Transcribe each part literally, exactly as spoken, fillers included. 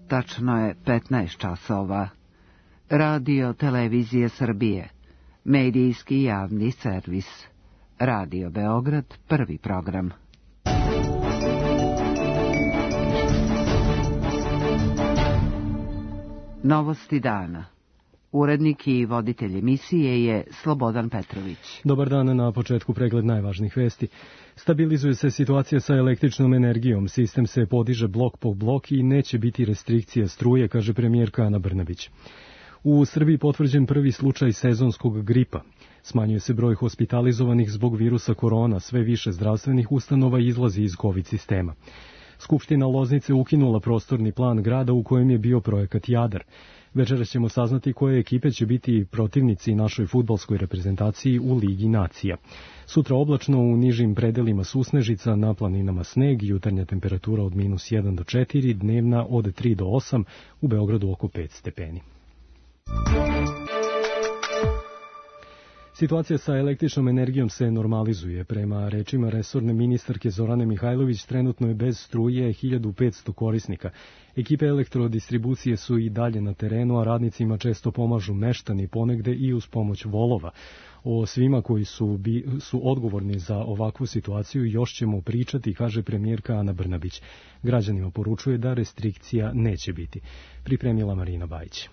Tačno je petnaest časova. Radio Televizije Srbije. Medijski javni servis. Radio Beograd, prvi program. Novosti dana. Urednik i voditelj emisije je Slobodan Petrović. Dobar dan, na početku pregled najvažnijih vesti. Stabilizuje se situacija sa električnom energijom, sistem se podiže blok po blok i neće biti restrikcija struje, kaže premijerka Ana Brnabić. U Srbiji potvrđen prvi slučaj sezonskog gripa. Smanjuje se broj hospitalizovanih zbog virusa korona, sve više zdravstvenih ustanova izlazi iz COVID sistema. Skupština Loznice ukinula prostorni plan grada u kojem je bio projekat Jadar. Večeras ćemo saznati koje ekipe će biti protivnici našoj fudbalskoj reprezentaciji u Ligi nacija. Sutra oblačno, u nižim predelima susnežica, na planinama sneg, jutarnja temperatura od minus jedan do četiri, dnevna od tri do osam, u Beogradu oko pet stepeni. Situacija sa električnom energijom se normalizuje. Prema rečima resorne ministarke Zorane Mihajlović, trenutno je bez struje hiljadu petsto korisnika. Ekipe elektrodistribucije su i dalje na terenu, a radnicima često pomažu meštani, ponegde i uz pomoć volova. O svima koji su, bi, su odgovorni za ovakvu situaciju još ćemo pričati, kaže premijerka Ana Brnabić. Građanima poručuje da restrikcija neće biti. Pripremila Marina Bajić.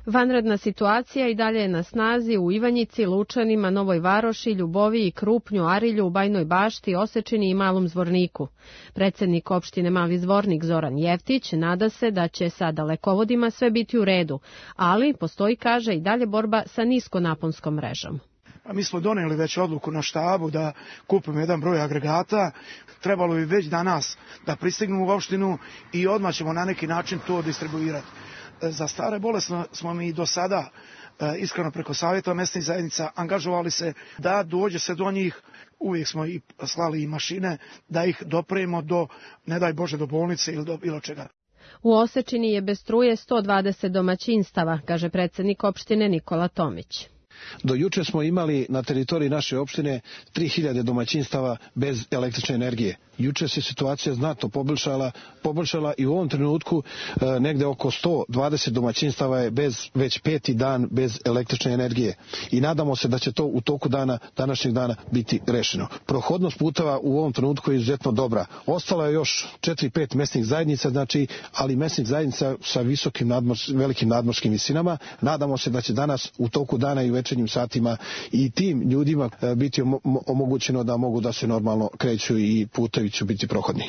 Vanredna situacija i dalje je na snazi u Ivanjici, Lučanima, Novoj Varoši, Ljuboviji, Krupnju, Arilju, Bajnoj Bašti, Osečini i Malom Zvorniku. Predsednik opštine Mali Zvornik Zoran Jeftić nada se da će sa dalekovodima sve biti u redu, ali postoji, kaže, i dalje borba sa niskonaponskom mrežom. A mi smo doneli već odluku na štabu da kupimo jedan broj agregata. Trebalo bi već danas da pristignu u opštinu i odmah ćemo na neki način to distribuirati. Za stare bolesne smo mi do sada, iskreno preko savjeta mesnih zajednica, angažovali se da dođe se do njih. Uvijek smo i slali i mašine da ih dopremo do, ne daj Bože, do bolnice ili do bilo čega. U Osečini je bez struje sto dvadeset domaćinstava, kaže predsednik opštine Nikola Tomić. Do juče smo imali na teritoriji naše opštine tri hiljade domaćinstava bez električne energije. Juče se situacija znatno poboljšala, poboljšala i u ovom trenutku e, negde oko sto dvadeset domaćinstava je bez, već peti dan bez električne energije. I nadamo se da će to u toku dana, današnjeg dana biti rešeno. Prohodnost puteva u ovom trenutku je izuzetno dobra. Ostalo je još četiri pet mesnih zajednica, znači, ali mesnih zajednica sa visokim nadmors, velikim nadmorskim visinama. Nadamo se da će danas u toku dana i u večernjim satima i tim ljudima e, biti omogućeno da mogu da se normalno kreću i putevi će biti prohodni.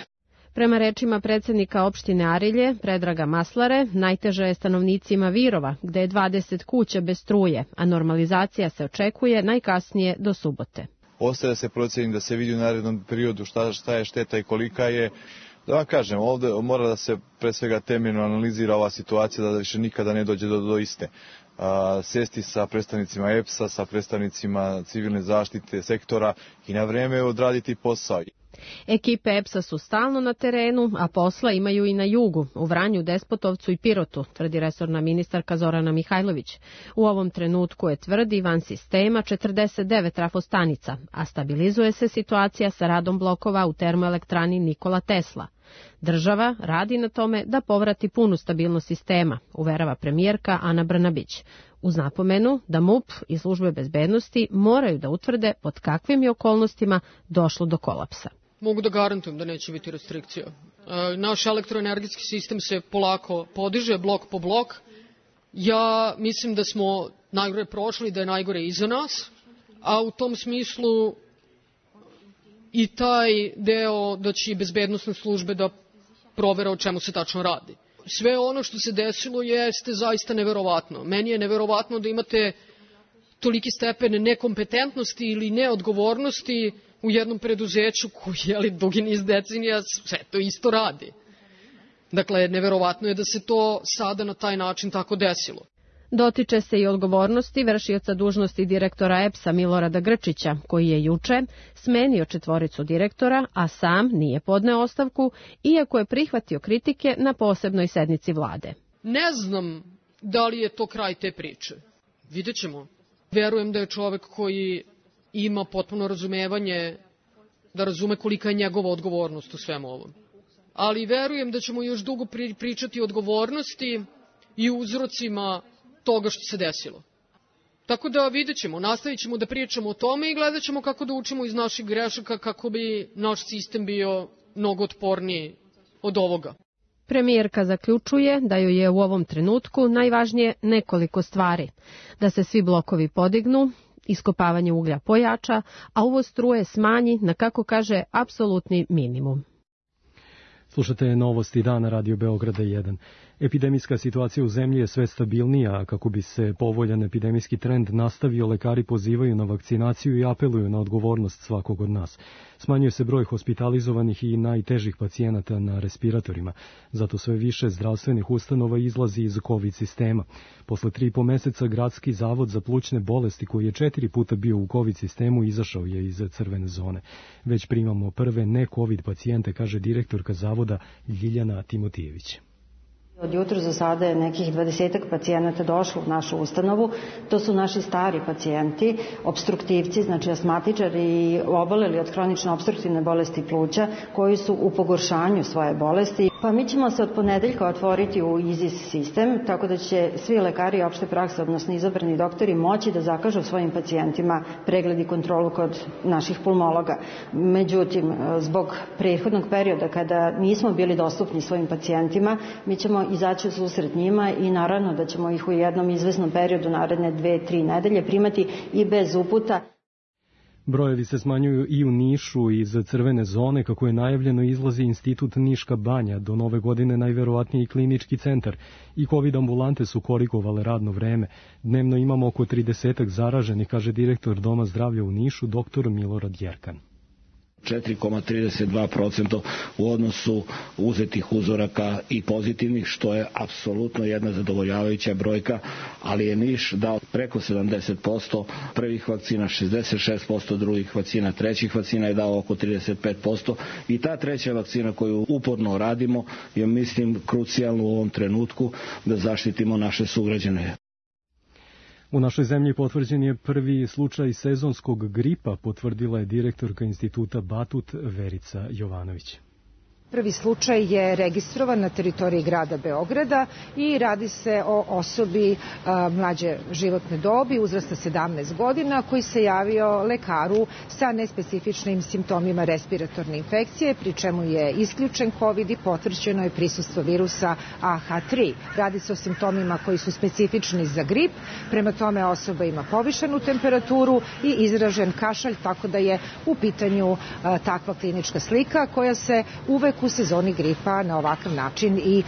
Prema rečima predsednika opštine Arilje, Predraga Maslare, najteže je stanovnicima Virova, gde je dvadeset kuća bez struje, a normalizacija se očekuje najkasnije do subote. Ostaje se procjeni da se vidi u narednom periodu šta, šta je šteta i kolika je. Da vam kažem, ovde mora da se pre svega temeljno analizira ova situacija da više nikada ne dođe do, do iste. A, sesti sa predstavnicima E P S-a, sa predstavnicima civilne zaštite sektora i na vreme odraditi posao. Ekipe E P S-a su stalno na terenu, a posla imaju i na jugu, u Vranju, Despotovcu i Pirotu, tvrdi resorna ministarka Zorana Mihajlović. U ovom trenutku je, tvrdi, van sistema četrdeset devet trafostanica, a stabilizuje se situacija sa radom blokova u termoelektrani Nikola Tesla. Država radi na tome da povrati punu stabilnost sistema, uverava premijerka Ana Brnabić, uz napomenu da M U P i službe bezbednosti moraju da utvrde pod kakvim je okolnostima došlo do kolapsa. Mogu da garantujem da neće biti restrikcija. Naš elektroenergetski sistem se polako podiže, blok po blok. Ja mislim da smo najgore prošli, da je najgore iza nas, a u tom smislu i taj deo da će i bezbednosne službe da provere o čemu se tačno radi. Sve ono što se desilo jeste zaista neverovatno. Meni je neverovatno da imate toliki stepen nekompetentnosti ili neodgovornosti u jednom preduzeću koji je li dugi niz decenija sve to isto radi. Dakle, neverovatno je da se to sada na taj način tako desilo. Dotiče se i odgovornosti vršioca dužnosti direktora E P S-a Milorada Grčića, koji je juče smenio četvoricu direktora, a sam nije podneo ostavku, iako je prihvatio kritike na posebnoj sednici vlade. Ne znam da li je to kraj te priče. Vidjet ćemo. Verujem da je čovek koji ima potpuno razumevanje, da razume kolika je njegova odgovornost u svemu ovom. ali verujem da ćemo još dugo pričati o odgovornosti i uzrocima toga što se desilo. Tako da vidjet ćemo, nastavit ćemo da pričamo o tome i gledat ćemo kako da učimo iz naših grešaka kako bi naš sistem bio mnogo otporniji od ovoga. Premijerka zaključuje da joj je u ovom trenutku najvažnije nekoliko stvari. Da se svi blokovi podignu, iskopavanje uglja pojača, a uvoz struje smanji na, kako kaže, apsolutni minimum. Slušate Novosti dana Radio Beograda jedan. Epidemijska situacija u zemlji je sve stabilnija, a kako bi se povoljan epidemijski trend nastavio, lekari pozivaju na vakcinaciju i apeluju na odgovornost svakog od nas. Smanjuje se broj hospitalizovanih i najtežih pacijenata na respiratorima, zato sve više zdravstvenih ustanova izlazi iz COVID sistema. Posle tri i po meseca Gradski zavod za plućne bolesti, koji je četiri puta bio u COVID sistemu, izašao je iz crvene zone. Već primamo prve ne-COVID pacijente, kaže direktorka zavoda Ljiljana Timotijević. Od jutra za sada je nekih dvadesetak pacijenata došlo u našu ustanovu. To su naši stari pacijenti, obstruktivci, znači asmatičari i oboleli od hronične opstruktivne bolesti pluća, koji su u pogoršanju svoje bolesti. Pa mi ćemo se od ponedeljka otvoriti u I Z I S sistem, tako da će svi lekari opšte prakse, odnosno izabrani doktori, moći da zakažu svojim pacijentima pregled i kontrolu kod naših pulmologa. Međutim, zbog prethodnog perioda kada nismo bili dostupni svojim pacijentima, mi ćemo izaći u susret njima i naravno da ćemo ih u jednom izvesnom periodu naredne dve, tri nedelje primati i bez uputa. Brojevi se smanjuju i u Nišu iz crvene zone, kako je najavljeno izlazi Institut Niška banja, do nove godine najverovatniji klinički centar, i COVID ambulante su korigovale radno vreme. Dnevno imamo oko tridesetak zaraženih, kaže direktor Doma zdravlja u Nišu, doktor Milorad Jerkan. četiri zarez trideset dva posto u odnosu uzetih uzoraka i pozitivnih, što je apsolutno jedna zadovoljavajuća brojka, ali je Niš dao preko sedamdeset posto prvih vakcina, šezdeset šest posto drugih vakcina, trećih vakcina je dao oko trideset pet posto i ta treća vakcina koju uporno radimo je, mislim, krucijalno u ovom trenutku da zaštitimo naše sugrađane. U našoj zemlji potvrđen je prvi slučaj sezonskog gripa, potvrdila je direktorka instituta Batut Verica Jovanović. Prvi slučaj je registrovan na teritoriji grada Beograda i radi se o osobi a, mlađe životne dobi, uzrasta sedamnaest godina, koji se javio lekaru sa nespecifičnim simptomima respiratorne infekcije, pri čemu je isključen COVID i potvrđeno je prisustvo virusa A H tri. Radi se o simptomima koji su specifični za grip, prema tome osoba ima povišenu temperaturu i izražen kašalj, tako da je u pitanju a, takva klinička slika koja se uvek u sezoni gripa na ovakav način i e,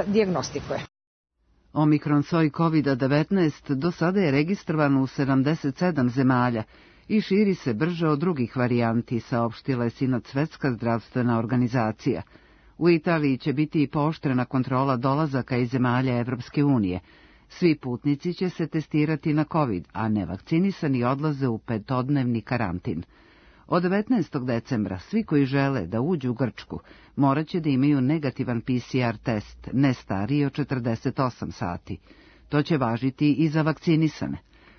dijagnostikuje. Omikron soj COVID devetnaest do sada je registrovan u sedamdeset sedam zemalja i širi se brže od drugih varijanti, saopštila je sinoć Svetska zdravstvena organizacija. U Italiji će biti i pooštrena kontrola dolazaka iz zemalja Evropske unije. Svi putnici će se testirati na COVID, a nevakcinisani odlaze u petodnevni karantin. Od devetnaestog decembra svi koji žele da uđu u Grčku morat će da imaju negativan P C R test, ne stariji od četrdeset osam sati. To će važiti i za vakcinisane.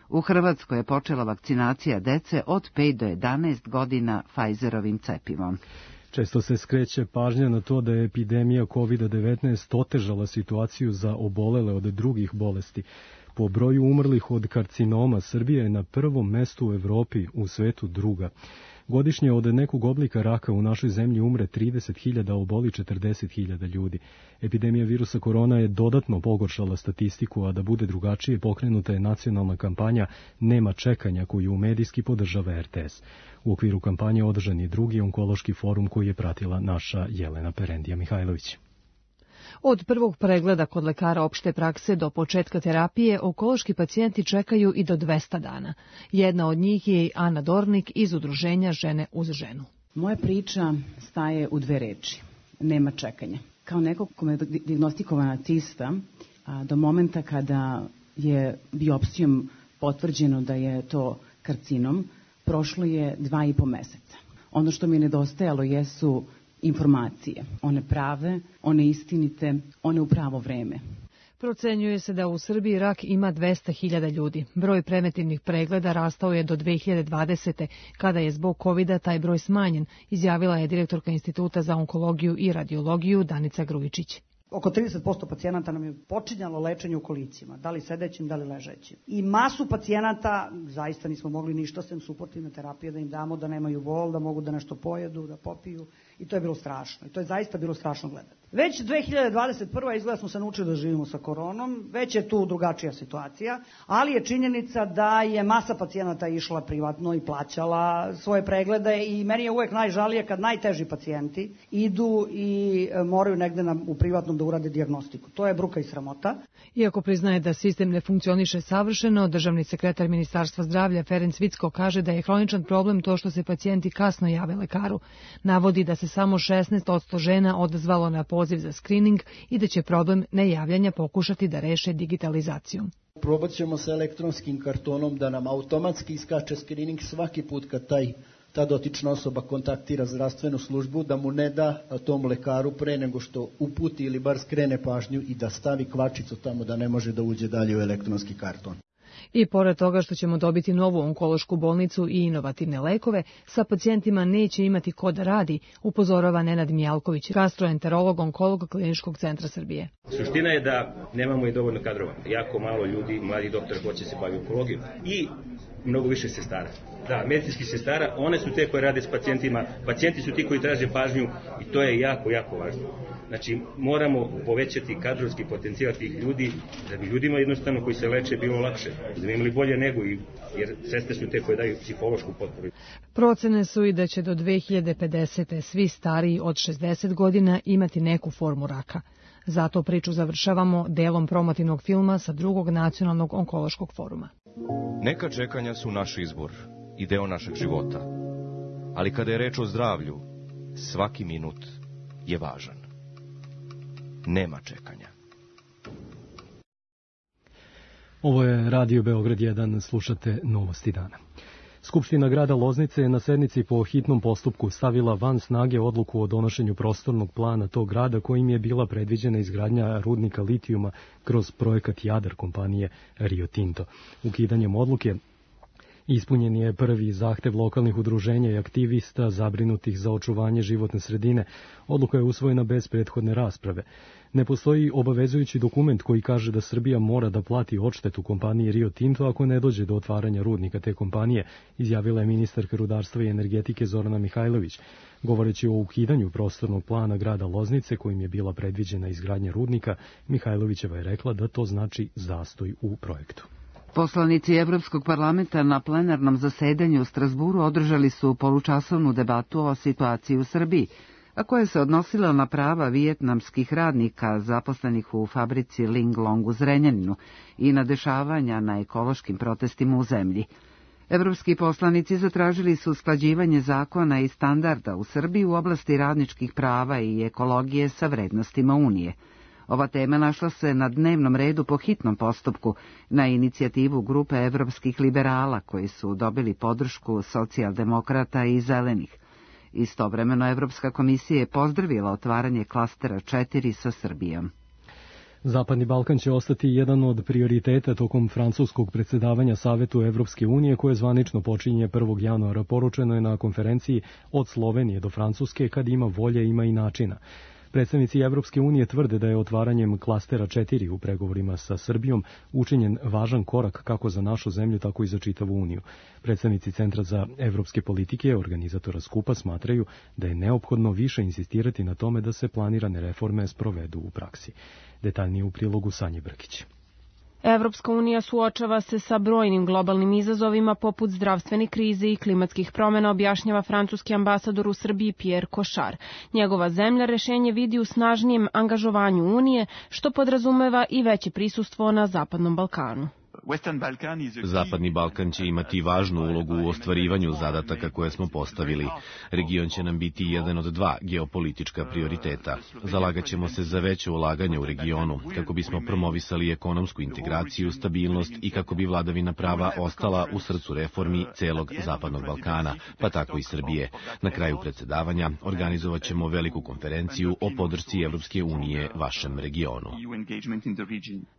U Hrvatskoj je počela vakcinacija dece od pet do jedanaest godina Pfizerovim cepivom. Često se skreće pažnja na to da je epidemija COVID devetnaest otežala situaciju za obolele od drugih bolesti. Po broju umrlih od karcinoma Srbija je na prvom mestu u Evropi, u svetu druga. Godišnje od nekog oblika raka u našoj zemlji umre trideset hiljada, oboli četrdeset hiljada ljudi. Epidemija virusa korona je dodatno pogoršala statistiku, a da bude drugačije pokrenuta je nacionalna kampanja Nema čekanja, koju medijski podržava R T S. U okviru kampanje održan je drugi onkološki forum koji je pratila naša Jelena Perendija Mihajlović. Od prvog pregleda kod lekara opšte prakse do početka terapije onkološki pacijenti čekaju i do dvesta dana. Jedna od njih je i Ana Dornik iz udruženja Žene uz ženu. Moja priča staje u dve reči. Nema čekanja. Kao nekog kome je dijagnostikovana cista, do momenta kada je biopsijom potvrđeno da je to karcinom, prošlo je dva i po meseca. Ono što mi je nedostajalo jesu informacije, one prave, one istinite, one u pravo vreme. Procenjuje se da u Srbiji rak ima dvesta hiljada ljudi. Broj preventivnih pregleda rastao je do dve hiljade dvadesete. Kada je zbog kovida taj broj smanjen, izjavila je direktorka Instituta za onkologiju i radiologiju Danica Grujičić. Oko trideset posto pacijenata nam je počinjalo lečenje u kolicima, da li sedećim, da li ležećim. I masu pacijenata zaista nismo mogli ništa sem suportivne terapije da im damo, da nemaju bol, da mogu da nešto pojedu, da popiju. I to je bilo strašno. I to je zaista bilo strašno gledati. Već dve hiljade dvadeset prva izgleda smo se naučili da živimo sa koronom, već je tu drugačija situacija, ali je činjenica da je masa pacijenata išla privatno i plaćala svoje preglede i meni je uvek najžalije kad najteži pacijenti idu i moraju negde na, u privatnom da urade dijagnostiku. To je bruka i sramota. Iako priznaje da sistem ne funkcioniše savršeno, državni sekretar Ministarstva zdravlja Ferenc Vicko kaže da je hroničan problem to što se pacijenti kasno jave lekaru. Navodi da se samo šesnaest posto žena odazvalo na poziv za skrining i da će problem nejavljanja pokušati da reše digitalizacijom. Probat ćemo sa elektronskim kartonom da nam automatski iskače skrining svaki put kad taj, ta dotična osoba kontaktira zdravstvenu službu, da mu ne da tom lekaru pre nego što uputi ili bar skrene pažnju i da stavi kvačicu tamo da ne može da uđe dalje u elektronski karton. I pored toga što ćemo dobiti novu onkološku bolnicu i inovativne lekove, sa pacijentima neće imati ko da radi, upozorava Nenad Mijalković, gastroenterolog onkolog Kliničkog centra Srbije. Suština je da nemamo i dovoljno kadrova. Jako malo ljudi, mladi doktor hoće se baviti onkologijom i mnogo više sestara. Da, medicinskih sestara, one su te koje rade s pacijentima, pacijenti su ti koji traže pažnju i to je jako, jako važno. Znači, moramo povećati kadrovski potencijal tih ljudi, da bi ljudima jednostavno koji se leče bilo lakše, da bi imali bolje nego, jer sestre su te koje daju psihološku potporu. Procene su i da će do dve hiljade pedesete svi stariji od šezdeset godina imati neku formu raka. Zato priču završavamo delom promotivnog filma sa drugog nacionalnog onkološkog foruma. Neka čekanja su naš izbor i deo našeg života, ali kada je reč o zdravlju, svaki minut je važan. Nema čekanja. Ovo je Radio Beograd jedan, slušate Novosti dana. Skupština grada Loznice je na sednici po hitnom postupku stavila van snage odluku o donošenju prostornog plana tog grada kojim je bila predviđena izgradnja rudnika litijuma kroz projekat Jadar kompanije Rio Tinto. Ukidanjem odluke ispunjen je prvi zahtev lokalnih udruženja i aktivista zabrinutih za očuvanje životne sredine. Odluka je usvojena bez prethodne rasprave. Ne postoji obavezujući dokument koji kaže da Srbija mora da plati odštetu kompaniji Rio Tinto ako ne dođe do otvaranja rudnika te kompanije, izjavila je ministarka rudarstva i energetike Zorana Mihajlović. Govoreći o ukidanju prostornog plana grada Loznice kojim je bila predviđena izgradnja rudnika, Mihajlovićeva je rekla da to znači zastoj u projektu. Poslanici Evropskog parlamenta na plenarnom zasedanju u Strasburu održali su polučasovnu debatu o situaciji u Srbiji, a koja se odnosila na prava vijetnamskih radnika zaposlenih u fabrici Linglong u Zrenjaninu i na dešavanja na ekološkim protestima u zemlji. Evropski poslanici zatražili su usklađivanje zakona i standarda u Srbiji u oblasti radničkih prava i ekologije sa vrednostima Unije. Ova tema našla se na dnevnom redu po hitnom postupku na inicijativu grupe evropskih liberala koji su dobili podršku socijaldemokrata i zelenih. Istovremeno Evropska komisija je pozdravila otvaranje klastera četiri sa Srbijom. Zapadni Balkan će ostati jedan od prioriteta tokom francuskog predsjedavanja Savetu Evropske unije koje zvanično počinje prvog januara. Poručeno je na konferenciji Od Slovenije do Francuske, kad ima volje ima i načina. Predstavnici Evropske unije tvrde da je otvaranjem klastera četiri u pregovorima sa Srbijom učinjen važan korak kako za našu zemlju, tako i za čitavu Uniju. Predstavnici Centra za evropske politike, organizatora skupa, smatraju da je neophodno više insistirati na tome da se planirane reforme sprovedu u praksi. Detaljnije u prilogu Sanje Brkić. Evropska unija suočava se sa brojnim globalnim izazovima poput zdravstvene krize i klimatskih promjena, objašnjava francuski ambasador u Srbiji Pierre Cochard. Njegova zemlja rešenje vidi u snažnijem angažovanju Unije, što podrazumeva i veće prisustvo na Zapadnom Balkanu. Zapadni Balkan će imati važnu ulogu u ostvarivanju zadataka koje smo postavili. Region će nam biti jedan od dva geopolitička prioriteta. Zalagaćemo se za veće ulaganje u regionu, kako bismo promovisali ekonomsku integraciju, stabilnost i kako bi vladavina prava ostala u srcu reformi celog Zapadnog Balkana, pa tako i Srbije. Na kraju predsedavanja organizovat ćemo veliku konferenciju o podršci Evropske unije vašem regionu.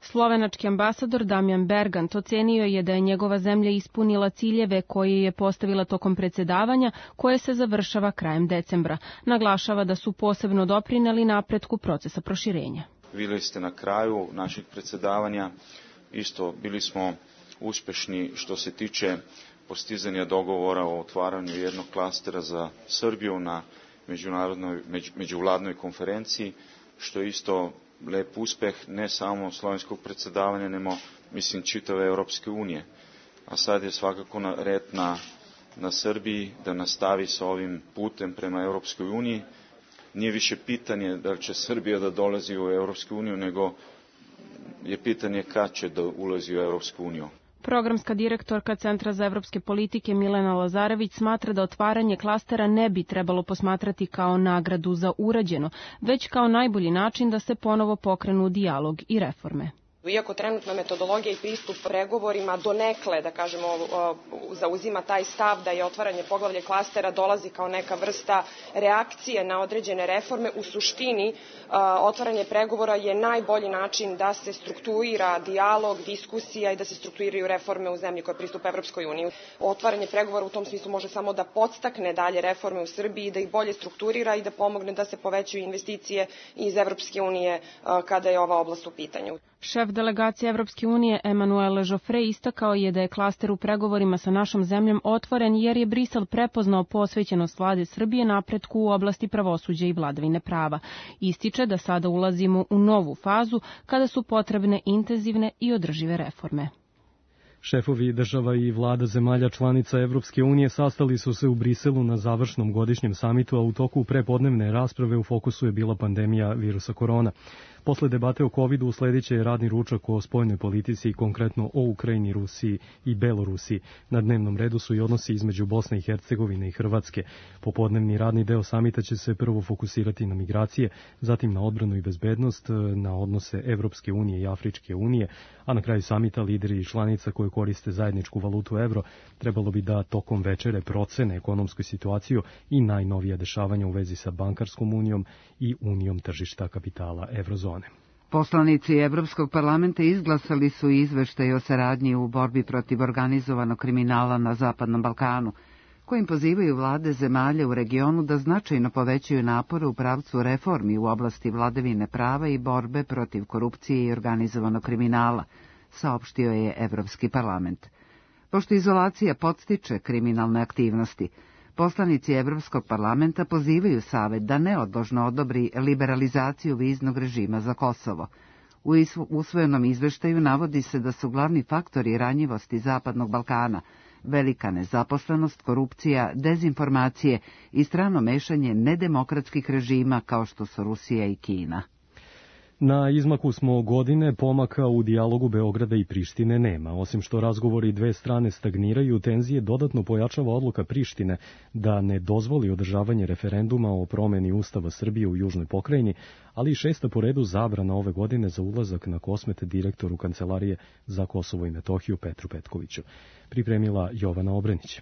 Slovenački ambasador Damjan Bergant ocenio je da je njegova zemlja ispunila ciljeve koje je postavila tokom predsedavanja, koje se završava krajem decembra. Naglašava da su posebno doprineli napretku procesa proširenja. Videli ste na kraju našeg predsedavanja, isto bili smo uspešni što se tiče postizanja dogovora o otvaranju jednog klastera za Srbiju na međunarodnoj među, međuvladnoj konferenciji, što je isto lep uspeh ne samo slovenskog predsedavanja, nego mislim čitave Europske unije. A sad je svakako na red na, na Srbiji da nastavi sa ovim putem prema Europskoj uniji. Nije više pitanje da li će Srbija da dolazi u Europsku uniju, nego je pitanje kad će da ulazi u Europsku uniju. Programska direktorka Centra za evropske politike Milena Lazarević smatra da otvaranje klastera ne bi trebalo posmatrati kao nagradu za urađeno, već kao najbolji način da se ponovo pokrenu dijalog i reforme. Iako trenutna metodologija i pristup pregovorima donekle, da kažemo, zauzima taj stav da je otvaranje poglavlja klastera dolazi kao neka vrsta reakcije na određene reforme, u suštini otvaranje pregovora je najbolji način da se strukturira dijalog, diskusija i da se strukturiraju reforme u zemlji koja pristupa Evropskoj uniji. Otvaranje pregovora u tom smislu može samo da podstakne dalje reforme u Srbiji, da ih bolje strukturira i da pomogne da se povećaju investicije iz Evropske unije kada je ova oblast u pitanju. Šef delegacije Evropske unije Emanuel Joffre istakao je da je klaster u pregovorima sa našom zemljom otvoren jer je Brisel prepoznao posvećenost vlade Srbije napretku u oblasti pravosuđa i vladavine prava. Ističe da sada ulazimo u novu fazu kada su potrebne intenzivne i održive reforme. Šefovi država i vlada zemalja članica Evropske unije sastali su se u Briselu na završnom godišnjem samitu, a u toku prepodnevne rasprave u fokusu je bila pandemija virusa korona. Posle debate o covidu usledit će radni ručak o spoljnoj politici, konkretno o Ukrajini, Rusiji i Belorusiji. Na dnevnom redu su i odnosi između Bosne i Hercegovine i Hrvatske. Popodnevni radni deo samita će se prvo fokusirati na migracije, zatim na odbranu i bezbednost, na odnose Evropske unije i Afričke unije, a na kraju samita lideri i članica koje koriste zajedničku valutu evro trebalo bi da tokom večere procene ekonomsku situaciju i najnovija dešavanja u vezi sa bankarskom unijom i unijom tržišta kapitala evrozone. Poslanici Evropskog parlamenta izglasali su izveštaj o saradnji u borbi protiv organizovanog kriminala na Zapadnom Balkanu, kojim pozivaju vlade zemalja u regionu da značajno povećaju napore u pravcu reformi u oblasti vladavine prava i borbe protiv korupcije i organizovanog kriminala, saopštio je Evropski parlament. Pošto izolacija podstiče kriminalne aktivnosti, poslanici Evropskog parlamenta pozivaju Savet da neodložno odobri liberalizaciju viznog režima za Kosovo. U usvojenom izveštaju navodi se da su glavni faktori ranjivosti Zapadnog Balkana velika nezaposlenost, korupcija, dezinformacije i strano mešanje nedemokratskih režima kao što su Rusija i Kina. Na izmaku smo godine, pomaka u dijalogu Beograda i Prištine nema. Osim što razgovori dve strane stagniraju, tenzije dodatno pojačava odluka Prištine da ne dozvoli održavanje referenduma o promeni Ustava Srbije u Južnoj pokrajini, ali i šesta po redu zabrana ove godine za ulazak na Kosmet direktoru Kancelarije za Kosovo i Metohiju Petru Petkoviću. Pripremila Jovana Obrenić.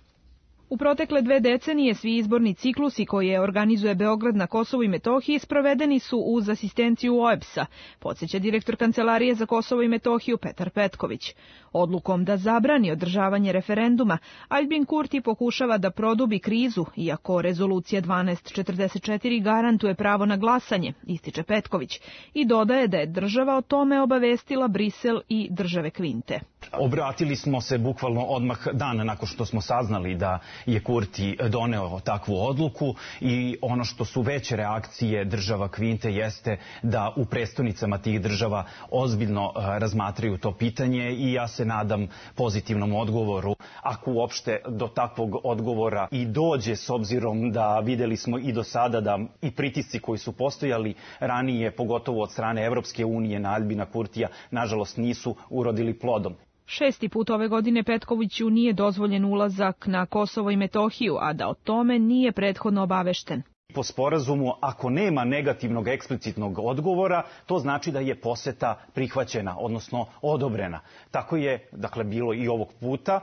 U protekle dve decenije svi izborni ciklusi koje organizuje Beograd na Kosovu i Metohiji sprovedeni su uz asistenciju O E B S-a, podsjeća direktor Kancelarije za Kosovo i Metohiju Petar Petković. Odlukom da zabrani održavanje referenduma, Aljbin Kurti pokušava da produbi krizu, iako rezolucija dvanaest četrdeset četiri garantuje pravo na glasanje, ističe Petković, i dodaje da je država o tome obavestila Brisel i države Kvinte. Obratili smo se bukvalno odmah dan nakon što smo saznali da je Kurti doneo takvu odluku i ono što su veće reakcije država Kvinte jeste da u prestonicama tih država ozbiljno razmatraju to pitanje i ja se nadam pozitivnom odgovoru. Ako uopšte do takvog odgovora i dođe, s obzirom da videli smo i do sada da i pritisci koji su postojali ranije, pogotovo od strane Evropske unije na Aljbina Kurtija, nažalost nisu urodili plodom. Šesti put ove godine Petkoviću nije dozvoljen ulazak na Kosovo i Metohiju, a da o tome nije prethodno obavešten. Po sporazumu, ako nema negativnog eksplicitnog odgovora, to znači da je poseta prihvaćena, odnosno odobrena. Tako je, dakle, bilo i ovog puta,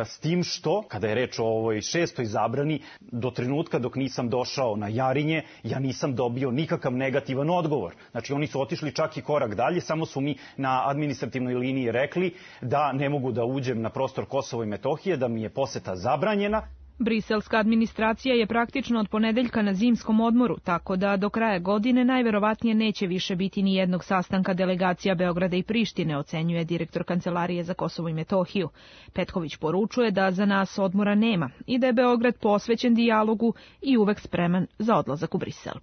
s tim što, kada je reč o ovoj šestoj zabrani, do trenutka dok nisam došao na Jarinje, ja nisam dobio nikakav negativan odgovor. Znači, oni su otišli čak i korak dalje, samo su mi na administrativnoj liniji rekli da ne mogu da uđem na prostor Kosova i Metohije, da mi je poseta zabranjena. Briselska administracija je praktično od ponedeljka na zimskom odmoru, tako da do kraja godine najverovatnije neće više biti ni jednog sastanka delegacija Beograda i Prištine, ocenjuje direktor Kancelarije za Kosovo i Metohiju. Petković poručuje da za nas odmora nema i da je Beograd posvećen dijalogu i uvek spreman za odlazak u Brisel.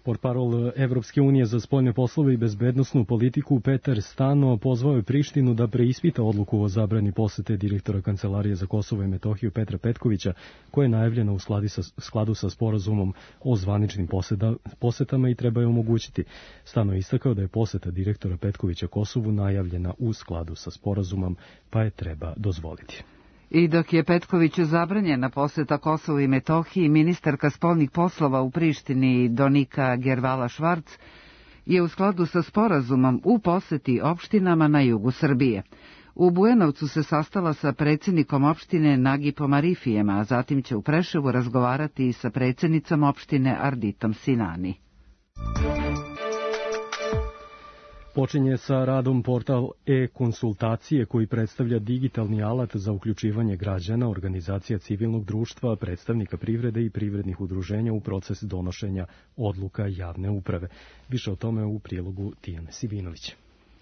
Portparol Evropske unije za spoljne poslove i bezbednosnu politiku Petar Stano pozvao je Prištinu da preispita odluku o zabrani posete direktora Kancelarije za Kosovo i Metohiju Petra Petkovića, koja je najavljena u skladu sa sporazumom o zvaničnim posetama i treba je omogućiti. Stano je istakao da je poseta direktora Petkovića Kosovu najavljena u skladu sa sporazumom, pa je treba dozvoliti. I dok je Petkoviću zabranjena poseta Kosovu i Metohiji, ministarka spoljnih poslova u Prištini Donika Gervala-Švarc je u skladu sa sporazumom u poseti opštinama na jugu Srbije. U Bujanovcu se sastala sa predsjednikom opštine Nagipom Arifijem, a zatim će u Preševu razgovarati i sa predsjednicom opštine Arditom Sinani. Počinje sa radom portal e-konsultacije koji predstavlja digitalni alat za uključivanje građana, organizacija civilnog društva, predstavnika privrede i privrednih udruženja u proces donošenja odluka javne uprave. Više o tome u prilogu Tijane Sivinović.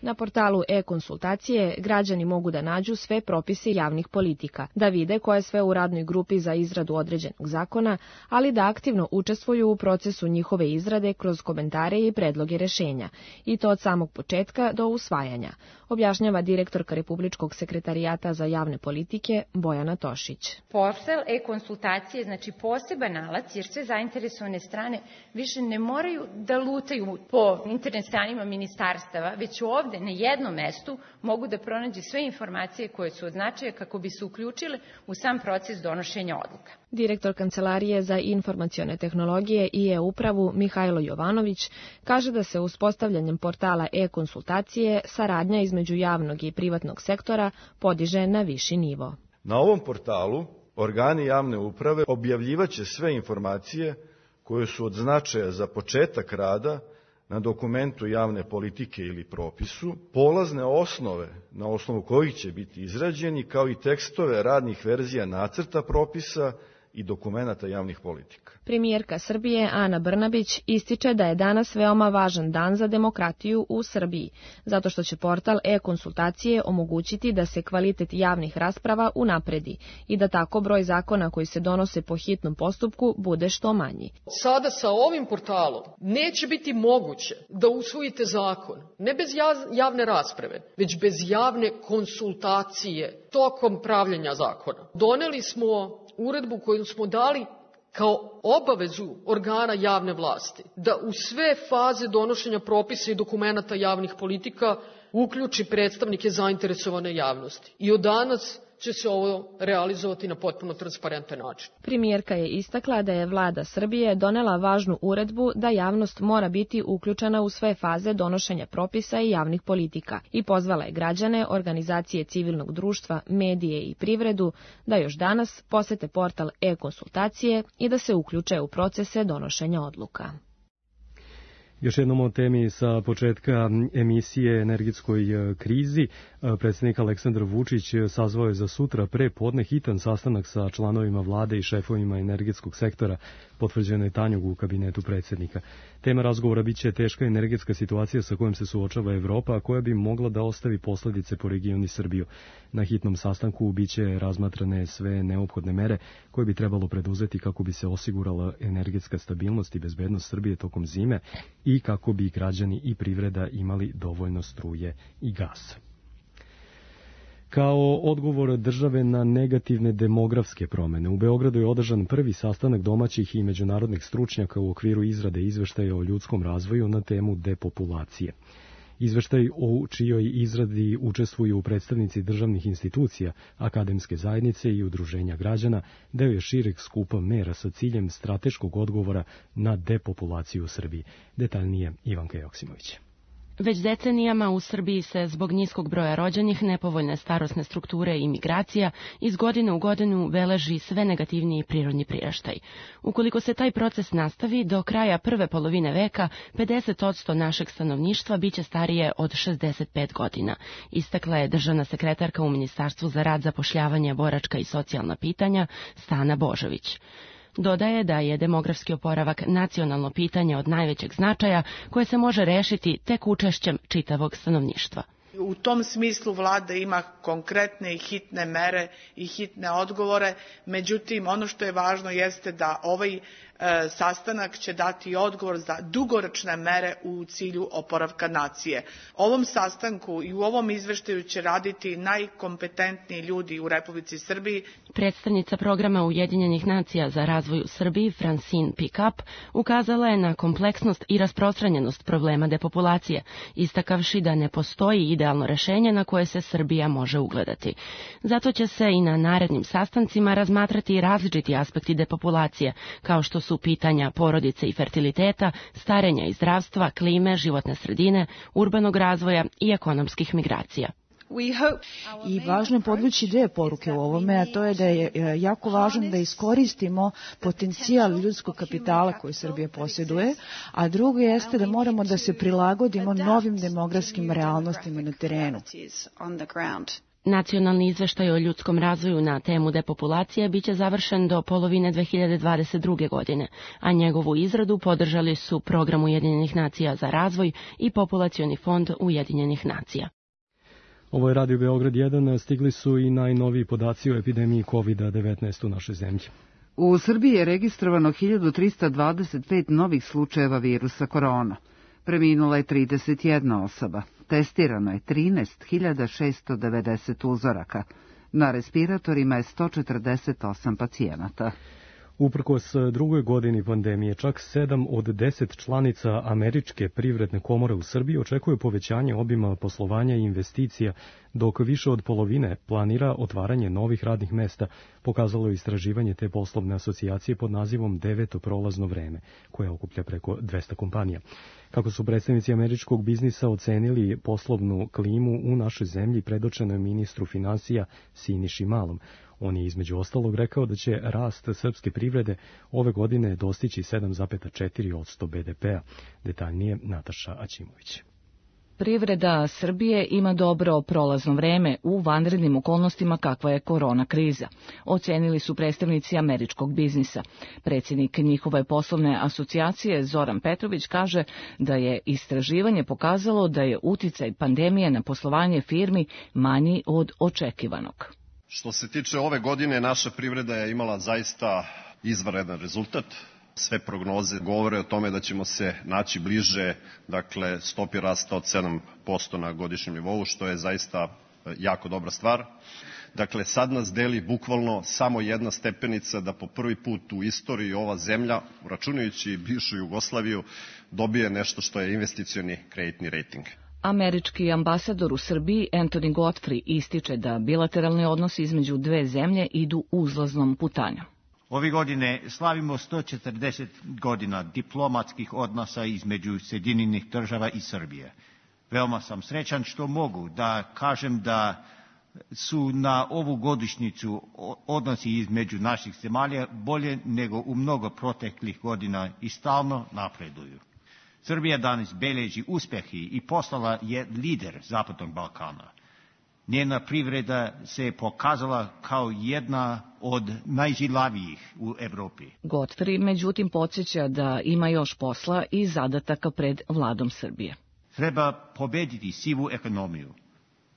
Na portalu e-konsultacije građani mogu da nađu sve propise javnih politika, da vide ko je sve u radnoj grupi za izradu određenog zakona, ali da aktivno učestvuju u procesu njihove izrade kroz komentare i predloge rešenja, i to od samog početka do usvajanja, objašnjava direktorka Republičkog sekretarijata za javne politike Bojana Tošić. Portal e-konsultacije znači poseban alat, jer sve zainteresovane strane više ne moraju da lutaju po internet stranima ministarstava, već ovde na jednom mestu mogu da pronađe sve informacije koje su od značaja kako bi se uključile u sam proces donošenja odluka. Direktor Kancelarije za informacione tehnologije i e-upravu Mihajlo Jovanović kaže da se uspostavljanjem portala e-konsultacije saradnja između javnog i privatnog sektora podiže na viši nivo. Na ovom portalu organi javne uprave objavljivaće sve informacije koje su od značaja za početak rada na dokumentu javne politike ili propisu, polazne osnove na osnovu kojih će biti izrađeni, kao i tekstove radnih verzija nacrta propisa i dokumenata javnih politika. Premijerka Srbije Ana Brnabić ističe da je danas veoma važan dan za demokratiju u Srbiji, zato što će portal e-konsultacije omogućiti da se kvalitet javnih rasprava unapredi i da tako broj zakona koji se donose po hitnom postupku bude što manji. Sada sa ovim portalom neće biti moguće da usvojite zakon, ne bez javne rasprave, već bez javne konsultacije tokom pravljenja zakona. Doneli smo uredbu koju smo dali kao obavezu organa javne vlasti da u sve faze donošenja propisa i dokumenata javnih politika uključi predstavnike zainteresovane javnosti. I od danas će se ovo realizovati na potpuno transparentan način. Premijerka je istakla da je vlada Srbije donela važnu uredbu da javnost mora biti uključena u sve faze donošenja propisa i javnih politika i pozvala je građane, organizacije civilnog društva, medije i privredu da još danas posete portal e-konsultacije i da se uključe u procese donošenja odluka. Još jednom o temi sa početka emisije energetskoj krizi. Predsjednik Aleksandar Vučić sazvao je za sutra pre podne hitan sastanak sa članovima vlade i šefovima energetskog sektora, potvrđeno je Tanjug u kabinetu predsjednika. Tema razgovora biće teška energetska situacija sa kojom se suočava Evropa, a koja bi mogla da ostavi posledice po regionu i Srbiju. Na hitnom sastanku biće razmatrane sve neophodne mere koje bi trebalo preduzeti kako bi se osigurala energetska stabilnost i bezbednost Srbije tokom zime i kako bi građani i privreda imali dovoljno struje i gasa. Kao odgovor države na negativne demografske promene, u Beogradu je održan prvi sastanak domaćih i međunarodnih stručnjaka u okviru izrade izveštaja o ljudskom razvoju na temu depopulacije. Izveštaj u čijoj izradi učestvuju predstavnici državnih institucija, akademske zajednice i udruženja građana, deo je šireg skupa mera sa ciljem strateškog odgovora na depopulaciju u Srbiji. Detaljnije Ivanka Joksimović. Već decenijama u Srbiji se zbog niskog broja rođenih, nepovoljne starosne strukture i migracija iz godine u godinu beleži sve negativniji prirodni priraštaj. Ukoliko se taj proces nastavi, do kraja prve polovine veka pedeset posto našeg stanovništva biće starije od šezdeset pet godina, istakla je državna sekretarka u Ministarstvu za rad, zapošljavanje, boračka i socijalna pitanja Stana Božović. Dodaje da je demografski oporavak nacionalno pitanje od najvećeg značaja koje se može rešiti tek učešćem čitavog stanovništva. U tom smislu vlada ima konkretne i hitne mere i hitne odgovore, međutim ono što je važno jeste da ovaj e, sastanak će dati odgovor za dugoročne mere u cilju oporavka nacije. Ovom sastanku i u ovom izveštaju će raditi najkompetentniji ljudi u Republici Srbiji. Predstavnica programa Ujedinjenih nacija za razvoj u Srbiji, Francine Pickup, ukazala je na kompleksnost i rasprostranjenost problema depopulacije, istakavši da ne postoji idealno rešenje na koje se Srbija može ugledati. Zato će se i na narednim sastancima razmatrati različiti aspekti depopulacije, kao što su pitanja porodice i fertiliteta, starenja i zdravstva, klime, životne sredine, urbanog razvoja i ekonomskih migracija. I važno je podvući dve poruke u ovome, a to je da je jako važno da iskoristimo potencijal ljudskog kapitala koji Srbija posjeduje, a drugo jeste da moramo da se prilagodimo novim demografskim realnostima na terenu. Nacionalni izveštaj o ljudskom razvoju na temu depopulacije biće završen do polovine dve hiljade dvadeset druge. godine, a njegovu izradu podržali su Program Ujedinjenih nacija za razvoj i Populacioni fond Ujedinjenih nacija. Ovo je Radio Beograd jedan, stigli su i najnoviji podaci o epidemiji kovid devetnaest u našoj zemlji. U Srbiji je registrovano hiljadu trista dvadeset pet novih slučajeva virusa korona. Preminula je trideset jedna osoba. Testirano je trinaest hiljada šesto devedeset uzoraka. Na respiratorima je sto četrdeset osam pacijenata. Uprkos drugoj godini pandemije, čak sedam od deset članica Američke privredne komore u Srbiji očekuje povećanje obima poslovanja i investicija, dok više od polovine planira otvaranje novih radnih mesta, pokazalo je istraživanje te poslovne asocijacije pod nazivom Deveto prolazno vreme, koja okuplja preko dvesta kompanija. Kako su predstavnici američkog biznisa ocenili poslovnu klimu u našoj zemlji, predočeno je ministru finansija Siniši Malom. On je između ostalog rekao da će rast srpske privrede ove godine dostići sedam zarez četiri posto be de pea. Detaljnije Nataša Aćimović. Privreda Srbije ima dobro prolazno vreme u vanrednim okolnostima kakva je korona kriza, ocenili su predstavnici američkog biznisa. Predsjednik njihove poslovne asocijacije Zoran Petrović kaže da je istraživanje pokazalo da je uticaj pandemije na poslovanje firmi manji od očekivanog. Što se tiče ove godine, naša privreda je imala zaista izvanredan rezultat. Sve prognoze govore o tome da ćemo se naći bliže, dakle, stopi rasta od sedam posto na godišnjem nivou, što je zaista jako dobra stvar. Dakle, sad nas deli bukvalno samo jedna stepenica da po prvi put u istoriji ova zemlja, računajući bivšu Jugoslaviju, dobije nešto što je investicioni kreditni rejting. Američki ambasador u Srbiji Anthony Godfrey ističe da bilateralni odnosi između dve zemlje idu uzlaznom putanjom. Ove godine slavimo sto četrdeset godina diplomatskih odnosa između Sjedinjenih država i Srbije. Veoma sam srećan što mogu da kažem da su na ovu godišnjicu odnosi između naših zemalja bolje nego u mnogo proteklih godina i stalno napreduju. Srbija danas beleži uspehi i postala je lider Zapadnog Balkana. Njena privreda se pokazala kao jedna od najžilavijih u Evropi. Godfrey međutim podsjeća da ima još posla i zadataka pred vladom Srbije. Treba pobediti sivu ekonomiju,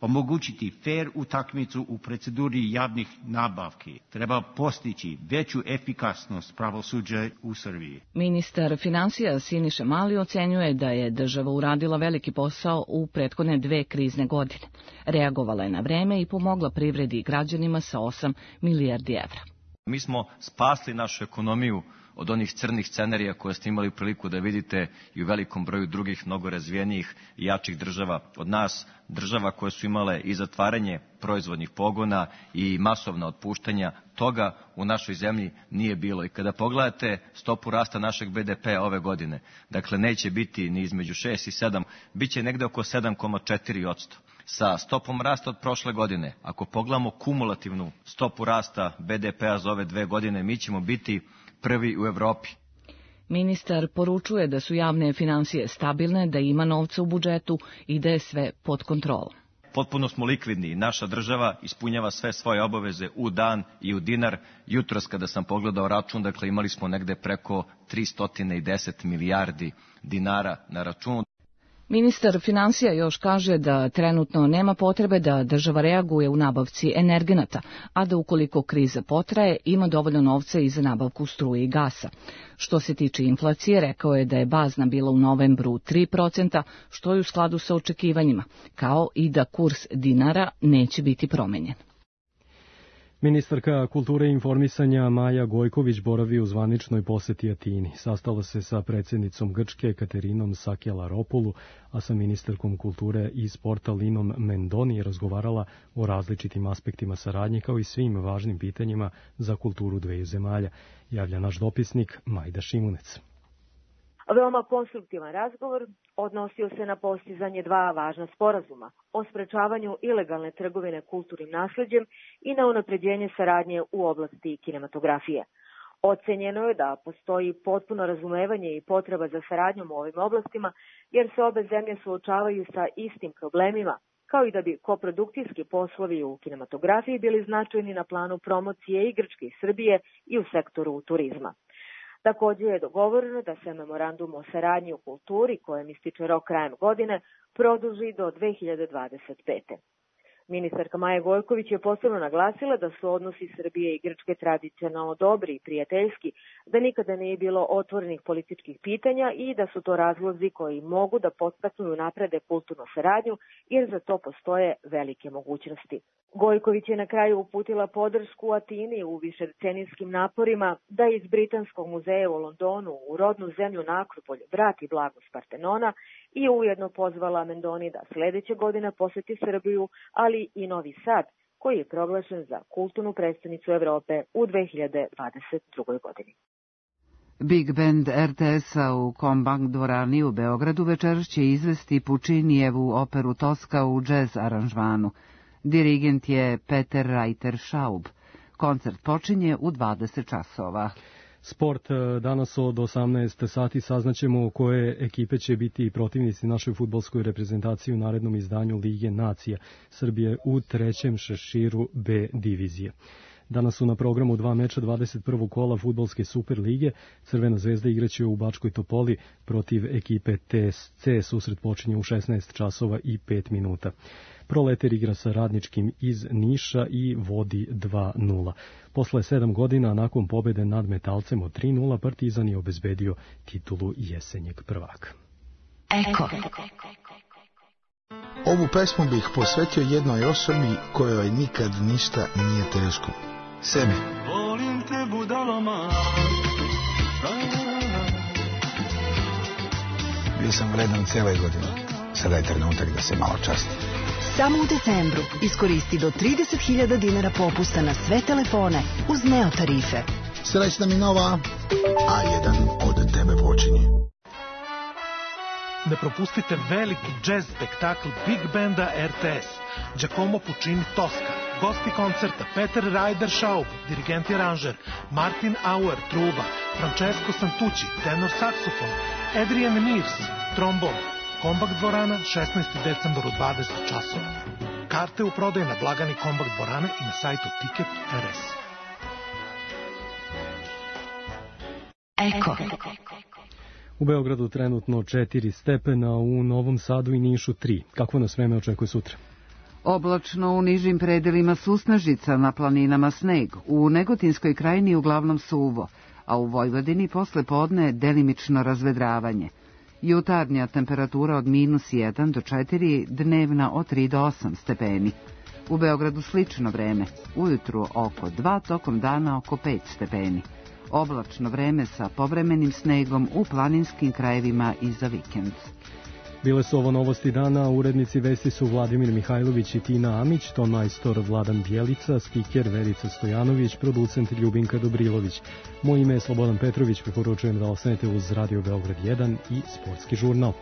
omogućiti fer utakmicu u proceduri javnih nabavki. Treba postići veću efikasnost pravosuđa u Srbiji. Ministar finansija Siniša Mali ocenjuje da je država uradila veliki posao u prethodne dve krizne godine. Reagovala je na vreme i pomogla privredi i građanima sa osam milijardi evra. Mi smo spasli našu ekonomiju od onih crnih scenarija koje ste imali priliku da vidite i u velikom broju drugih mnogo razvijenijih i jačih država od nas, država koje su imale i zatvaranje proizvodnih pogona i masovna otpuštanja. Toga u našoj zemlji nije bilo. I kada pogledate stopu rasta našeg be de pea ove godine, dakle neće biti ni između šest i sedam, bit će negde oko sedam zarez četiri posto. Sa stopom rasta od prošle godine, ako pogledamo kumulativnu stopu rasta be de pea za ove dve godine, mi ćemo biti prvi u Evropi. Ministar poručuje da su javne finansije stabilne, da ima novca u budžetu i da je sve pod kontrolom. Potpuno smo likvidni. Naša država ispunjava sve svoje obaveze u dan i u dinar. Jutros kada sam pogledao račun, dakle imali smo negde preko tristo deset milijardi dinara na računu. Ministar finansija još kaže da trenutno nema potrebe da država reaguje u nabavci energenata, a da ukoliko kriza potraje, ima dovoljno novca i za nabavku struje i gasa. Što se tiče inflacije, rekao je da je bazna bila u novembru tri procenta, što je u skladu sa očekivanjima, kao i da kurs dinara neće biti promenjen. Ministarka kulture i informisanja Maja Gojković boravi u zvaničnoj poseti Atini. Sastala se sa predsjednicom Grčke Katerinom Sakelaropulu, a sa ministarkom kulture i sporta Linom Mendoni je razgovarala o različitim aspektima saradnje kao i svim važnim pitanjima za kulturu dveju zemalja, javlja naš dopisnik Majda Šimunec. Veoma konstruktivan razgovor odnosio se na postizanje dva važna sporazuma o sprečavanju ilegalne trgovine kulturnim nasleđem i na unapređenje saradnje u oblasti kinematografije. Ocenjeno je da postoji potpuno razumevanje i potreba za saradnjom u ovim oblastima, jer se obe zemlje suočavaju sa istim problemima, kao i da bi koprodukcijski poslovi u kinematografiji bili značajni na planu promocije i Grčke i Srbije i u sektoru turizma. Također je dogovoreno da se memorandum o saradnji u kulturi, kojem ističe rok krajem godine, produži do dve hiljade dvadeset pete. Ministarka Maja Gojković je posebno naglasila da su odnosi Srbije i Grčke tradicionalno dobri i prijateljski, da nikada nije bilo otvorenih političkih pitanja i da su to razlozi koji mogu da podstaknu i naprede kulturnu saradnju, jer za to postoje velike mogućnosti. Gojković je na kraju uputila podršku Atini u višedecenijskim naporima da iz Britanskog muzeja u Londonu u rodnu zemlju na Akropolj vrati blagost Partenona i ujedno pozvala Mendoni da sledeće godine poseti Srbiju, ali i Novi Sad, koji je proglašen za kulturnu prestonicu Evrope u dve hiljade dvadeset drugoj godini. Big Band er te es-a u Kombank dvorani u Beogradu večeras će izvesti Pučinijevu operu Toska u džez aranžmanu. Dirigent je Peter Reiter-Schaub. Koncert počinje u dvadeset časova. Sport danas od osamnaest sati saznaćemo koje ekipe će biti protivnici našoj fudbalskoj reprezentaciji u narednom izdanju Lige nacija Srbije u trećem šeširu B divizije. Danas su na programu dva meča dvadeset prvog kola fudbalske Super lige. Crvena zvezda igraće u Bačkoj Topoli protiv ekipe te es ce. Susret počinje u šesnaest časova i pet minuta. Proleter igra sa Radničkim iz Niša i vodi dva nula. Posle sedam godina, nakon pobede nad Metalcem od tri nula, Partizan je obezbedio titulu jesenjeg prvaka. Eko. Ovu pesmu bih posvetio jednoj osobi kojoj nikad ništa nije teško. Sebi. Volim te budalama. Bio sam vredan cijele godine. Sada je trenutak da se malo časti. Samo u decembru iskoristi do trideset hiljada dinara popusta na sve telefone uz Neo tarife. Srećna mi nova, a jedan od tebe počinje. Ne propustite veliki džez spektakl Big Banda er te es. Giacomo Puccini Toska. Gosti koncerta Peter Reiter-Schaub, dirigent i aranžer, Martin Auer, truba, Francesco Santucci, tenor saksofon, Adrian Mears, trombon. Kombank dvorana, šesnaesti decembar u dvadeset časova. Karte u prodaju na blagani Kombank dvorane i na sajtu Ticket er es. Eko. U Beogradu trenutno četiri stepena, u Novom Sadu i Nišu tri. Kakvo nas vreme očekuje sutra? Oblačno, u nižim predelima susnežica, na planinama sneg, u Negotinskoj krajini uglavnom suvo, a u Vojvodini posle podne delimično razvedravanje. Jutarnja temperatura od minus jedan do četiri, dnevna od tri do osam stepeni. U Beogradu slično vreme, ujutru oko dva, tokom dana oko pet stepeni. Oblačno vreme sa povremenim snegom u planinskim krajevima i za vikend. Bile su ovo novosti dana, urednici vesti su Vladimir Mihajlović i Tina Amić, ton majstor Vladan Bjelica, spiker Verica Stojanović, producent Ljubinka Dobrilović. Moje ime je Slobodan Petrović, preporučujem da ostanete uz Radio Beograd jedan i Sportski žurnal.